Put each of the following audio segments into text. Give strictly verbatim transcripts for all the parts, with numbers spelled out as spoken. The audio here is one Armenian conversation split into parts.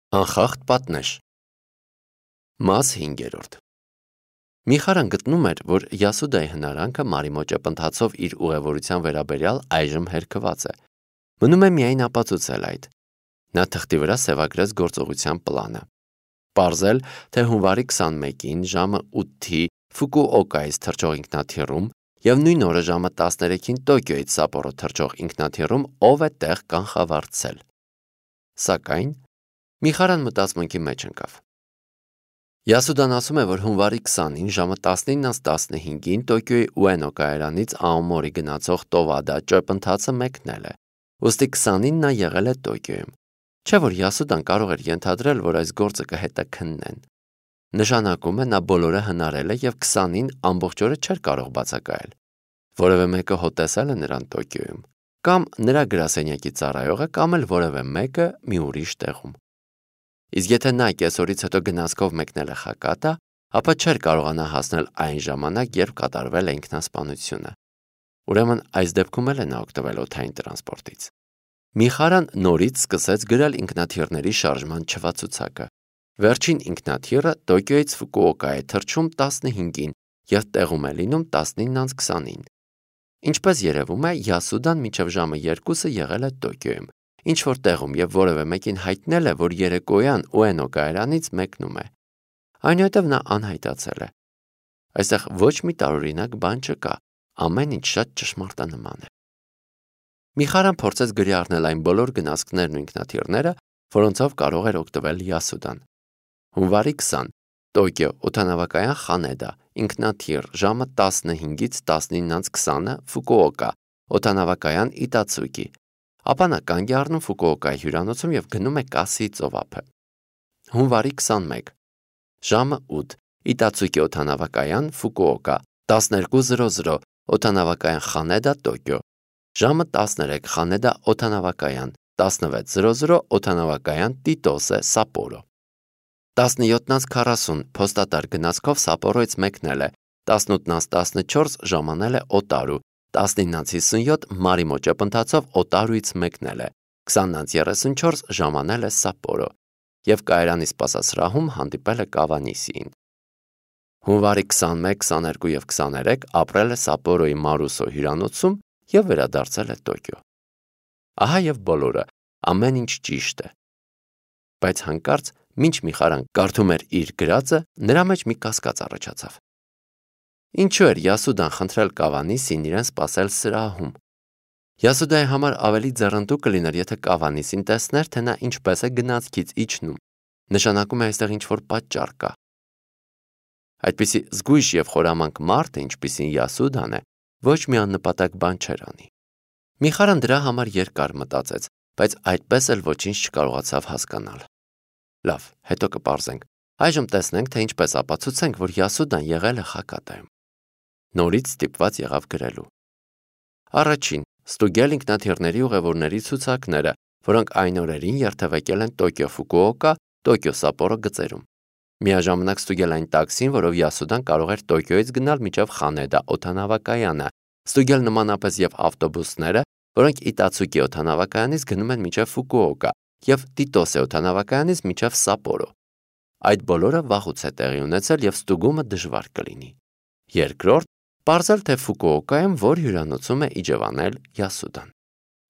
Անխախտ պատնեշ։ Մաս հինգերորդ։ Միխարան գտնում էր, որ Յասուդայի հնարանքը Մարի ճեպընթացով իր ուղևորության վերաբերյալ այժմ հերքված է։ Մնում է միայն ապացուցել այդ։ Նա թղթի վրա սևագրեց գործողության պլանը։ Պարզել, թե հունվարի քսանմեկին ժամը ութի Ֆուկուօկայից թռչող ինքնաթիռում և նույն օրը ժամը տասներեքին Տոկիոյից Սապորո թռչող ինքնաթիռում ով է տեղ կանխավարձել։ Սակայն Միխարան մտածմունքի մեջ ընկավ։ Յասուդան ասում է, որ հունվարի քսանին ժամը տասնինը տասնհինգին Տոկիոյի Ուենո կայարանից Աոմորի գնացող Տովադա ճեպընթացը մեկնել է, ուստի քսանին նա եղել է Տոկիոյում, չէ՞ որ Յասուդան կարող էր ենթադրել, որ այս գործը կհետաքննեն։ Նշանակում է, նա բոլորը հնարել է և քսանին ամբողջ օրը չէր կարող բացակայել։ Որևէ մեկը հոտեսել է նրան Տոկիոյում, կամ նրա գրասենյակի ծառայողը, կամ էլ որևէ մեկը մի ուրիշ տեղում։ Իսկ եթե նա կեսօրից հետո գնացքով մեկնել է Խակատա, ապա չէր կարողանա հասնել այն ժամանակ, երբ կատարվել է ինքնասպանությունը։ Ուրեմն այս դեպքում էլ է նա օգտվել օդային տրանսպորտից։ Միխարան նորից սկսեց գրել ինքնաթիռների շարժման չվացուցակը։ Վերջին ինքնաթիռը Տոկիոյից Ֆուկուօկա է թռչում տասնհինգին և տեղում է լինում տասնինը քսանին։ Ինչպես երևում է, Յասուդան մինչև ժամը երկուսը եղել է Տոկիոյում, ինչ-որ տեղում և որևէ մեկին հայտնել է, որ երեկոյան Ուենո կայարանից մեկնում է։ Այնուհետև նա անհայտացել է։ Այստեղ ոչ մի տարօրինակ բան չկա, ամեն ինչ շատ ճշմարտանման է։ Միխարան փորձեց գրի առնել այն բոլոր գնացքներն ու ինքնաթիռները, որոնցով կարող էր օգտվել Յասուդան։ Հունվարի քսան Տոկիո օդանավակայան Խանեդա ինքնաթիռ ժամը տասնհինգից տասնինը քսանը Ֆուկուօկա օդանավակայան Իտացուկի։ Ապա նա կանգ է առնում Ֆուկուօկայի հյուրանոցում և գնում է Կասիի ծովափը։ Հունվարի քսանմեկ ժամը ութ Իտացուկի օդանավակայան Ֆուկուօկա տասներկու զրո զրո օդանավակայան Խանեդա Տոկիո։ Ժամը տասներեք Խանեդա օդանավակայան տասնվեց զրո զրո օդանավակայան Տիտոսե Սապորո։ տասնյոթ քառասուն փոստատար գնացքով Սապորոյից մեկնել է, տասնութ տասնչորս ժամանել է Օտարու, տասնինը հիսունյոթ Մարի ճեպընթացով Օտարուից մեկնել է, քսան երեսունչորս ժամանել է Սապորո և կայարանի սպասասրահում հանդիպել է Կավանիսիին։ Հունվարի քսանմեկ, քսաներկու և քսաներեք ապրել է Սապորոյի Մարուսո հյուրանոցում և վերադարձել է Տոկիո։ Ահա և բոլորը, ամեն ինչ ճիշտ է։ Բայց հանկարծ, մինչ Միխարան կարդում էր իր գրածը, նրա մեջ մի կասկած առաջացավ։ Ինչու էր Յասուդան խնդրել Կավանիսին իրեն սպասել սրահում։ Յասուդայի համար ավելի ձեռնտու կլիներ, եթե Կավանիսին տեսներ, թե նա ինչպես է գնացքից իջնում։ Նշանակում է այստեղ ինչ-որ պատճառ կա։ Այդպիսի զգույշ և խորամանկ մարդը, ինչպիսին Յասուդան է, ոչ մի աննպատակ բան չէր անի։ Միխարան դրա համար երկար մտածեց, բայց այդպես էլ ոչինչ չկարողացավ հասկանալ։ Լավ, հետո կպարզենք։ Այժմ տեսնենք, թե ինչպես ապացուցենք, որ Յասուդան եղել է Խակատայում։ Նորից ստիպված եղավ գրելու։ Առաջին՝ ստուգել ինքնաթիռների ուղևորների ցուցակները, որոնք այն օրերին երթևեկել են Տոկիո Ֆուկուօկա, Տոկիո Սապորո գծերում։ Միաժամանակ ստուգել այն տաքսին, որով Յասուդան կարող էր Տոկիոյից գնալ մինչև Խանեդա օդանավակայանը, ստուգել նմանապես և ավտոբուսները, որոնք Իտացուկի օդանավակայանից գնում են մինչև Ֆուկուօկա և Տիտոսե օդանավակայանից մինչև Սապորո։ Այդ բոլորը վաղուց է տեղի ունեցել և ստուգումը դժվար կլինի։ Երկրորդ՝ պարզել, թե Ֆուկուօկայում որ հյուրանոցում է իջևանել Յասուդան։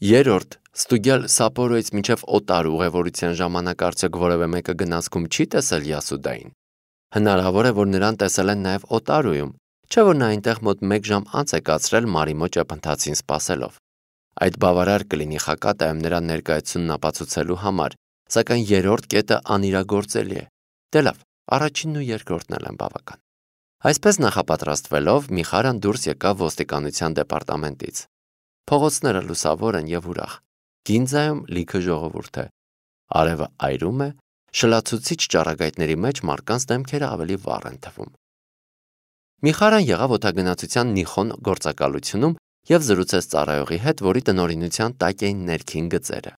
Երրորդ՝ ստուգել Սապորոյից մինչև Օտարու ուղևորության ժամանակ արդյոք որևէ մեկը գնացքում չի տեսել Յասուդային։ Հնարավոր է, որ նրան տեսել են նաև Օտարուում, չէ՞ որ նա այնտեղ մոտ մեկ ժամ անց է կացրել Մարի ճեպընթացին սպասելով։ Այդ բավարար կլինի Խակատայում նրա ներկայությունն ապացուցելու համար, սակայն երրորդ կետը անիրագործելի է։ Դե լավ, առաջինն ու երկրորդն էլ են բավական։ Այսպես նախապատրաստվելով Միխարան դուրս եկավ ոստիկանության դեպարտամենտից։ Փողոցները լուսավոր են և ուրախ։ Գինձայում լիքը ժողովուրդ է։ Արևը այրում է, շլացուցիչ ճառագայթների մեջ մարդկանց դեմքերը ավելի վառ են թվում։ Միխարան եղավ օդագնացության Նիխոն գործակալությունում և զրուցեց ծառայողի հետ, որի տնօրինության տակ էին ներքին գծերը։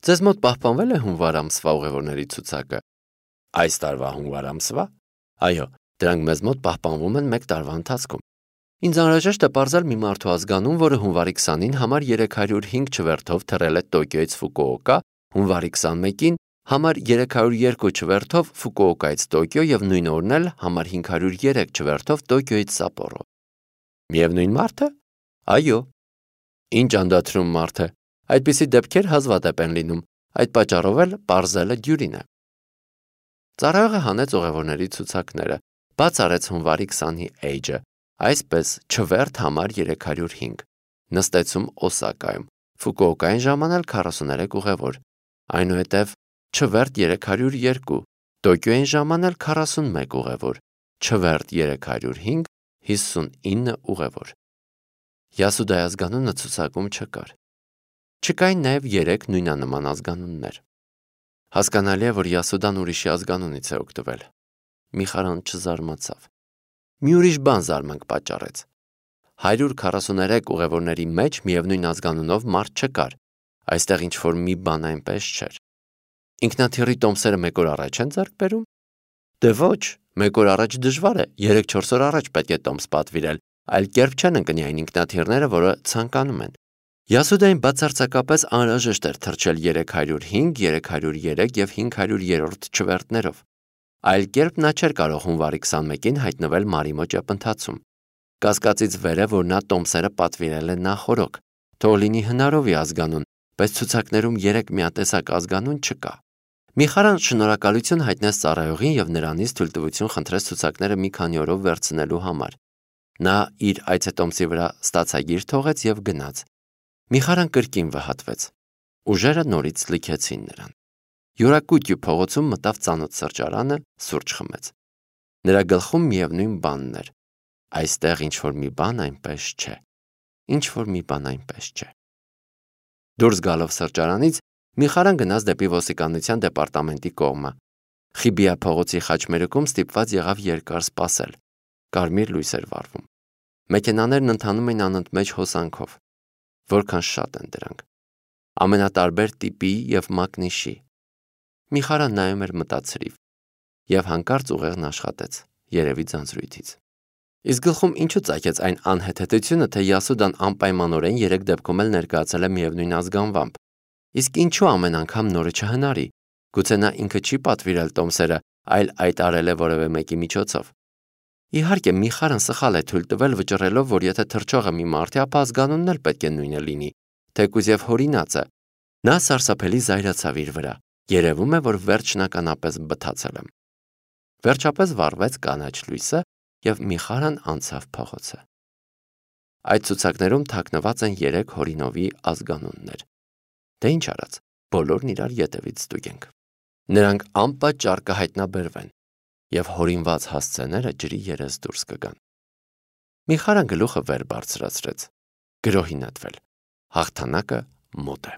Ձեզ մոտ պահպանվել է հունվար ամսվա ուղևորների ցուցակը։ Այս տարվա հունվար ամսվա։ Այո, դրանք մեզ մոտ պահպանվում են մեկ տարվա ընթացքում։ Ինձ անհրաժեշտ է պարզել մի մարդու ազգանուն, որը հունվարի քսանին համար երեք հարյուր հինգ չվերթով թռել է Տոկիոյից Ֆուկուօկա, հունվարի քսանմեկին Համար երեք հարյուր երկու չվերթով Ֆուկուոկայից Տոկիո եւ նույն օրն էլ համար հինգ հարյուր երեք չվերթով Տոկիոից Սապորո։ Միևնույն մարդը։ Այո։ Ինչ անդադրում մարդ է։ Այդպիսի դեպքեր հազվադեպ են լինում, այդ պատճառով էլ պարզելը դյուրին է։ Ծառայողը հանեց ուղևորների ցուցակները, բաց արեց հունվարի քսանի էյջը, այսպես չվերթ համար երեք հարյուր հինգ, նստեցում Օսակայում, Ֆուկուոկային ժամանել քառասուներեք ուղևոր, այնուհետև չվերթ երեք հարյուր երկու, Տոկիոյին ժամանել քառասունմեկ ուղևոր, չվերթ երեք հարյուր հինգ, հիսունինը ուղևոր։ Յասուդայի ազգանունը ցուցակում չկար։ Չկային նաև երեք նույնանման ազգանուններ։ Հասկանալի է, որ Յասուդան ուրիշի ազգանունից է օգտվել։ Միխարան չզարմացավ։ Մի ուրիշ բան զարմանք պատճառեց։ հարյուր քառասուներեք ուղևորների մեջ միևնույն ազգանունով մարդ չկար, այստեղ ինչ-որ մի բան այնպես չէր։ Ինքնաթիռի տոմսերը մեկ օր առաջ են ձեռք բերում։ Դե ոչ, մեկ օր առաջ դժվար է, երեք-չորս օր առաջ պետք է տոմս պատվիրել, այլ կերպ չեն ընկնի այն ինքնաթիռները, որը ցանկանում են։ Յասուդային բացարձակապես անհրաժեշտ էր թռչել երեք հարյուր հինգ, երեք հարյուր երեք եւ հինգ հարյուր երրորդ չվերթներով։ Այլ կերպ նա չէր կարող հունվարի քսանմեկին հայտնվել Մարիմո ճեպընթացում։ Կասկածից վեր է, որ նա տոմսերը պատվիրել է նախորոք, թող լինի հնարովի ազգանուն, բայց ցուցակներում երեք միատեսակ ազգանուն չկա։ Միխարան շնորհակալություն հայտնեց ծառայողին եւ նրանից թույլտվություն խնդրեց ցուցակները մի քանի օրով վերցնելու համար։ Նա իր այցետոմսի վրա ստացագիր թողեց եւ գնաց։ Միխարան կրկին վհատվեց։ Ուժերը նորից լքեցին նրան։ Յուրակուտյու փողոցում մտավ ծանոթ սրճարանը, սուրճ խմեց։ Նրա գլխում միևնույն բանն էր։ Այստեղ ինչ-որ մի բան այնպես չէ։ Ինչ-որ մի բան այնպես չէ։ Դուրս գալով սրճարանից Միխարան գնաց դեպի ոստիկանության դեպարտամենտի կողմը։ Խիբիա փողոցի խաչմերուկում ստիպված եղավ երկար սպասել։ Կարմիր լույս էր վառվում։ Մեքենաներն ընթանում էին անընդմեջ հոսանքով։ Որքան շատ են դրանք։ Ամենատարբեր տիպի եւ մակնիշի։ Միխարան նայում էր մտածրիվ եւ հանկարծ ուղեղն աշխատեց, երևի ձանձրույթից։ Իսկ գլխում ինչու ծագեց այն անհեթեթությունը, թե Յասուդան անպայմանորեն երեք դեպքում էլ ներկայացել է միևնույն ազգանվամբ։ Իսկ ինչու ամեն անգամ նորը չհնարի։ Գուցե նա ինքը չի պատվիրել տոմսերը, այլ այդ արել է որևէ մեկի միջոցով։ Իհարկե, Միխարան սխալ է թույլ տվել վճռելով, որ եթե թռչողը մի մարդ է, ապա ազգանունն էլ պետք է նույնը լինի, թեկուզ եւ հորինած է։ Նա սարսափելի զայրացավ իր վրա։ Երևում է, որ վերջնականապես բթացել եմ։ Վերջապես վառվեց կանաչ լույսը եւ Միխարան անցավ փողոցը։ Այդ ցուցակներում թաքնված են երեք հորինովի ազգանուններ։ Դե ինչ արած, բոլորն իրար ետևից ստուգենք։ Նրանք անպատճառ կհայտնաբերվեն եւ հորինված հասցեները ջրի երես դուրս կգան։ Միխարան գլուխը վեր բարձրացրեց։ Գրոհի նետվել։ Հաղթանակը մոտ է։